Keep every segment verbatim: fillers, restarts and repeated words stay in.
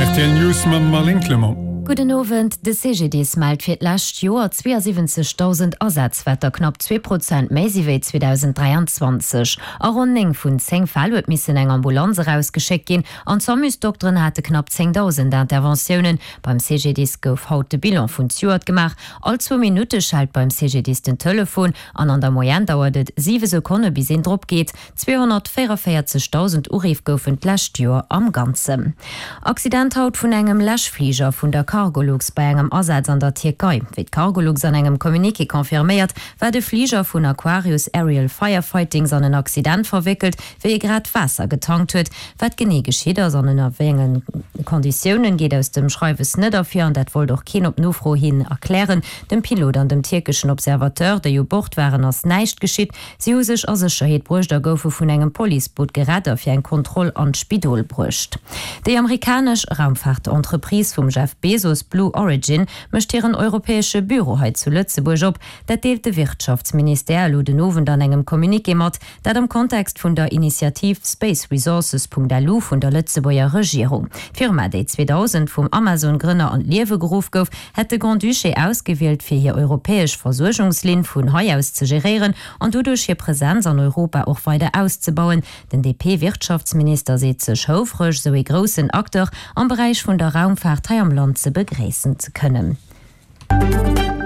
R T L News mam Marlène Clement. Gudden Owend. De C G D I S mellt fir d'lescht Joer zweeasiwwenzegdausend Asätz, wat der knapp zwee Prozent méi si wéi zweedausendräianzwanzeg. A ronn néng vun zéng Fäll huet missen eng Ambulanz erausgeschéckt ginn an d'Samusdokteren hate knapp zéngdausend Interventiounen. Beim C G D I S gouf haut de Bilan vun zejoert gemaach. All zwou Minutte schellt beim C G D I S den Telefon an an der Moyenne dauert et siwe Sekonne bis een drop geet. Zweehonnertvéierunvéierzegdausend Uriff goufen d'lescht Joer am Ganzen. Accident haut vun engem Läschfliger vun der Cargolux bei engem Asaz an der Tierkei. Wéi d'Cargolux an engem Communiqué confirméiert, war de Fliger vun Aquarius Aerial Firefighting an en Accident verwéckelt, wéi e grad Waasser getankt huet. Wat genee geschitt ass an ënner wéi enge Konditiounen, geet aus dem Schreiwes net ervir an dat wollt och keen op Nofro hin erklären. Dem Pilot an dem tierkeschen Observateur, déi u Bord waren, ass näischt geschitt. Si hu sech a Sécherheet bruecht a goufe vun engem Policeboot gerett a fir eng Kontroll an d'Spidol bruecht. Déi amerikanesch Raumfaartentreprise vum Jeff Bezos, Blue Origin, mécht hiren europäesche Büro hei zu Lëtzebuerg op. Dat deelt de Wirtschaftsministère elo den Owend an engem Communiqué mat, dat am Kontext vun der Initiativ Space Resources Punkt L U vun der Lëtzebuerger Regierung. D'Firma, déi zweedausend vum Amazon-Grënner an d'Liewe geruff gouf, hätt de Grand-Duché ausgewielt, fir hir europäesch Versuergungslinn vun hei aus ze geréieren an doduerch hir Presenz an Europa och weider auszebauen. Den D P-Wirtschaftsminister seet sech houfreg, sou ee groussen Acteur am Beräich vun der Raumfaart hei am Land ze begréissen ze kënnen.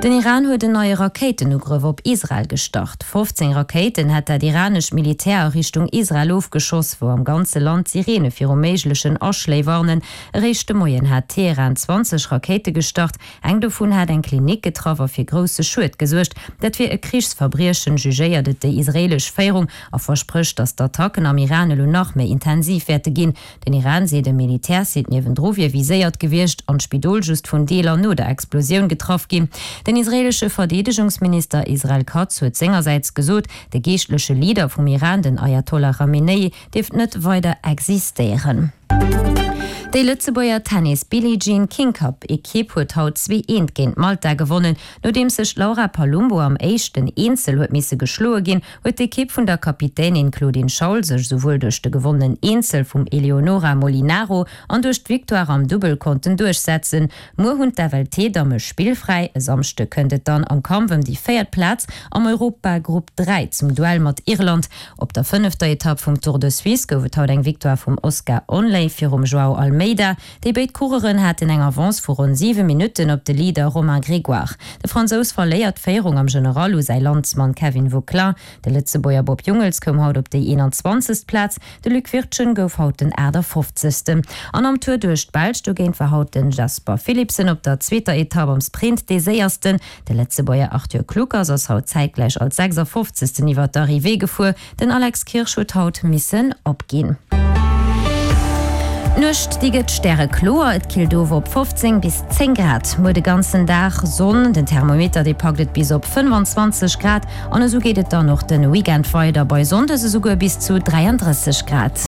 Den Iran huet en neie Rakéitenugrëff op Israel gestart. fofzéng Rakéiten hätt dat iranescht Militär a Richtung Israel ofgeschoss, wou am ganze Land d'Sireene viru méiglechen Aschléi warnen. Eréischt de Moien hat Teheran zwanzeg Rakéite gestart, eng dovun hat eng Klinik getraff a fir grousse Schued gesuergt. Dat wier e Krichsverbriechen, jugéiert et déi israeelesch Féierung a versprécht, datt d'Attacken am Iran elo nach méi intensiv wäerte ginn. Den Iran seet, e Militärsite niewendru wier viséiert gewiescht an d'Spidol just vun Deeler no der Explosioun getraff ginn. Den israeelesche Verdeedegungsminister Israel Katz huet sengersäits gesot, de geeschtleche Leader vum Iran, den Ayatollah Chamenei, dierft net weider existéieren. Déi Lëtzebuerger Tennis Billie Jean King Cup Ekipp huet haut zwee eent géint Malta gewonnen. Nodeems sech d'Laura Palumbo am éischten Eenzel huet misse geschloe ginn, huet d'Ekipp vun der Kapitänin Claudine Schaul sech souwuel duerch de gewonnenen Eenzel vum Eleonora Molinaro an duerch d'Victoire am Dubbel konnten duerchsetzen. Muer hunn d'F L T-Damme spillfräi. E Samschde kënnt et dann am Kampf ëm déi véiert Plaz am Europagrupp dräi zum Duell mat Irland. Op der fënnefter Etapp vum Tour de Suisse gouf et haut eng Victoire vum Oscar Onley virum Joao Almeida. Déi béid Coureuren haten eng Avance vu ronn siwe Minutten op de Leader Romain Grégoire. De Fransous verléiert d'Féierung am General u säi Landsmann Kevin Vauquelin. De Lëtzebuerger Bob Jungels koum haut op déi eenanzwanzegst Plaz, de Luc Wirtgen gouf haut den aachtafofzegsten. An am Tour duerch d'Belsch dogéint war haut den Jasper Philipsen op der zweeter Etapp am Sprint dee Séiersten. De Lëtzebuerger Arthur Kluckers ass haut zäitgläich als sechsafofzegsten iwwer d'Arrivée gefuer. Den Alex Kirsch huet haut missen opginn. D'Nuecht déi gëtt stärekloer, et killt of op fofzéng bis zéng Grad. Muer de ganzen Dag Sonn, den Thermometer dee packt et bis op fënnefanzwanzeg Grad an esou geet et dann och de Weekend weider, bei Sonndes esouguer bis zu dräiandrësseg Grad.